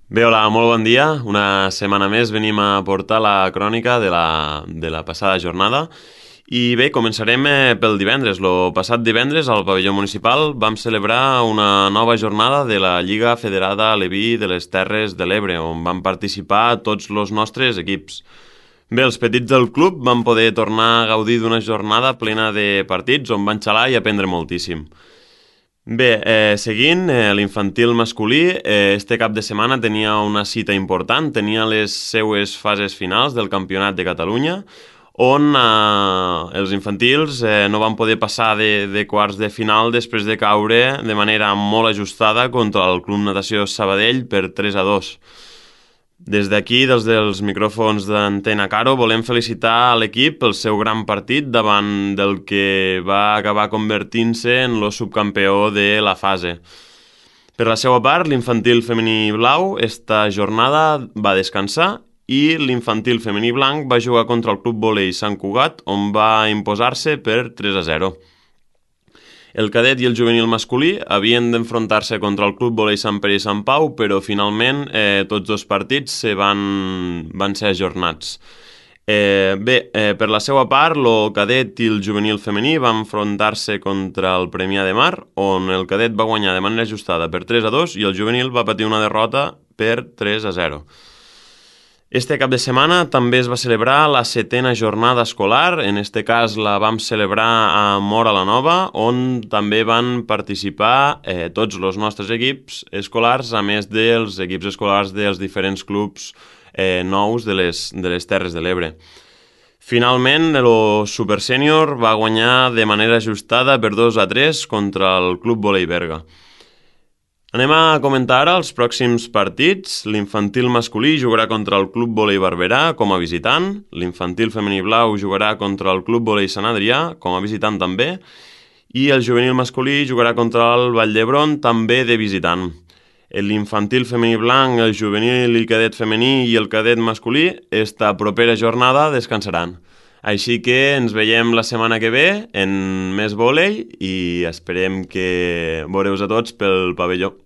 Bé, hola, molt bon dia. Una setmana més venim a portar la crònica de la passada jornada. I bé, començarem pel divendres. Lo passat divendres al pavelló municipal vam celebrar una nova jornada de la Lliga Federada Aleví de les Terres de l'Ebre, on van participar tots els nostres equips. Bé, els petits del club van poder tornar a gaudir d'una jornada plena de partits on van xalar i aprendre moltíssim. Bé, seguint, l'infantil masculí, este cap de setmana tenia una cita important, tenia les seues fases finals del Campionat de Catalunya, on els infantils no van poder passar de quarts de final després de caure de manera molt ajustada contra el Club Natació Sabadell per 3-2. Des d'aquí, des dels micròfons d'Antena Caro, volem felicitar a l'equip pel seu gran partit davant del que va acabar convertint-se en el subcampió de la fase. Per la seva part, l'infantil femení blau esta jornada va descansar i l'infantil femení blanc va jugar contra el Club Volei Sant Cugat, on va imposar-se per 3-0. El cadet i el juvenil masculí havien d'enfrontar-se contra el Club Volei Sant Pere i Sant Pau, però finalment tots dos partits van ser ajornats. Per la seva part, el cadet i el juvenil femení van enfrontar-se contra el Premià de Mar, on el cadet va guanyar de manera ajustada per 3-2 i el juvenil va patir una derrota per 3-0. Este cap de setmana també es va celebrar la 7ª jornada escolar, en este cas la vam celebrar a Móra la Nova, on també van participar tots els nostres equips escolars, a més dels equips escolars dels diferents clubs nous de les Terres de l'Ebre. Finalment, el Super Sènior va guanyar de manera ajustada per 2-3 contra el Club Volei Berga. Anem a comentar ara els pròxims partits. L'infantil masculí jugarà contra el Club Volei Barberà com a visitant, l'infantil femení blau jugarà contra el Club Volei Sant Adrià com a visitant també, i el juvenil masculí jugarà contra el Vall d'Hebron també de visitant. L'infantil femení blanc, el juvenil i cadet femení i el cadet masculí esta propera jornada descansaran. Així que ens veiem la setmana que ve en més vòlei i esperem que veureu a tots pel pavelló.